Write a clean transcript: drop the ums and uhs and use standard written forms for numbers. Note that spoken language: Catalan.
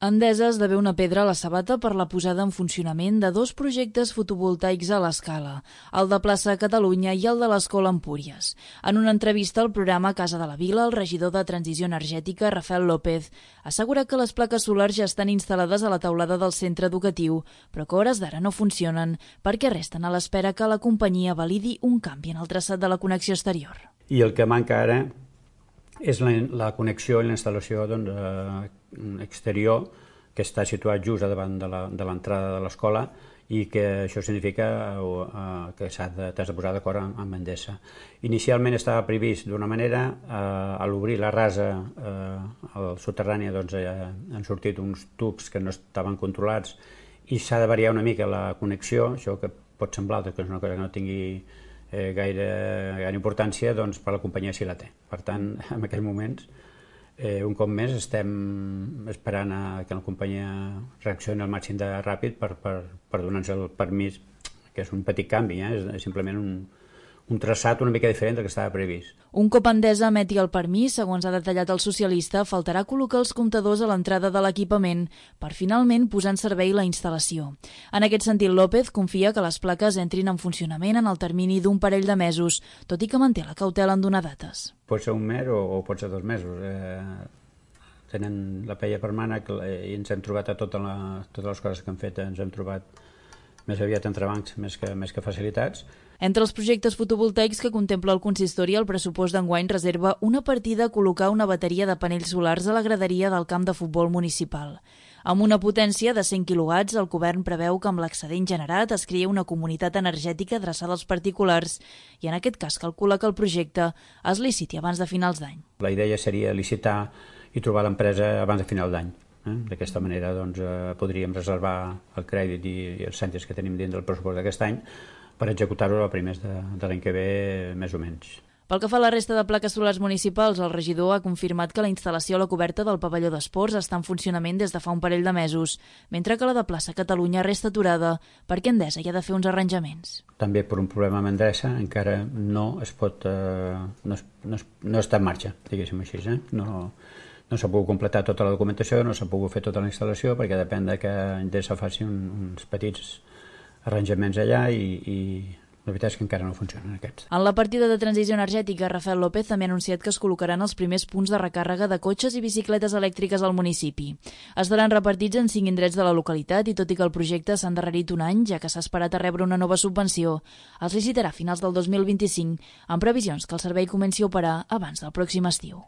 Endesa esdevé una pedra a la sabata per la posada en funcionament de dos projectes fotovoltaics a l'escala, el de Plaça Catalunya i el de l'Escola Empúries. En una entrevista al programa Casa de la Vila, el regidor de Transició Energètica, Rafael López, assegura que les plaques solars ja estan instal·lades a la teulada del centre educatiu, però que a hores d'ara no funcionen perquè resten a l'espera que la companyia validi un canvi en el traçat de la connexió exterior. I el que manca ara és la connexió i la instal·lació exterior, que està situat just davant de l'entrada de l'escola, i que això significa que s'ha de posar d'acord amb Endesa. Inicialment estava previst d'una manera, a l'obrir la rasa al soterrani han sortit uns tubs que no estaven controlats i s'ha de variar una mica la connexió, això que pot semblar que és una cosa que no tingui gaire importància, doncs per la companyia sí la té. Per tant, en aquells moments, un cop més, estem esperant que la companyia reaccioni al màxim de ràpid per donar-nos el permís, que és un petit canvi, és simplement un traçat una mica diferent del que estava previst. Un cop Endesa emeti el permís, segons ha detallat el socialista, faltarà col·locar els comptadors a l'entrada de l'equipament per finalment posar en servei la instal·lació. En aquest sentit, López confia que les plaques entrin en funcionament en el termini d'un parell de mesos, tot i que manté la cautela en donar dates. Pot ser un mes o pot ser 2 mesos. Tenen la peia per mànec i ens hem trobat a totes les coses que han fet, ens hem trobat més aviat entrebancs més que facilitats. Entre els projectes fotovoltaics que contempla el consistori, el pressupost d'enguany reserva una partida a col·locar una bateria de panells solars a la graderia del camp de futbol municipal. Amb una potència de 100 quilowatts, el govern preveu que amb l'excedent generat es crea una comunitat energètica adreçada als particulars i en aquest cas calcula que el projecte es liciti abans de finals d'any. La idea seria licitar i trobar l'empresa abans de final d'any. D'aquesta manera podríem reservar el crèdit i els cèntims que tenim dins del pressupost d'aquest any per executar-ho a primers de l'any que ve, més o menys. Pel que fa a la resta de plaques solars municipals, el regidor ha confirmat que la instal·lació a la coberta del pavelló d'esports està en funcionament des de fa un parell de mesos, mentre que la de Plaça Catalunya resta aturada perquè Endesa hi ha de fer uns arranjaments. També per un problema amb Endesa encara no està en marxa, diguéssim així. No s'ha pogut completar tota la documentació, no s'ha pogut fer tota la instal·lació perquè depèn que Endesa faci uns petits arranjaments allà i la veritat és que encara no funcionen aquests. En la partida de transició energètica, Rafael López també ha anunciat que es col·locaran els primers punts de recàrrega de cotxes i bicicletes elèctriques al municipi. Estaran repartits en 5 indrets de la localitat i tot i que el projecte s'ha endarrerit un any, ja que s'ha esperat a rebre una nova subvenció, es licitarà a finals del 2025 amb previsions que el servei comenci a operar abans del pròxim estiu.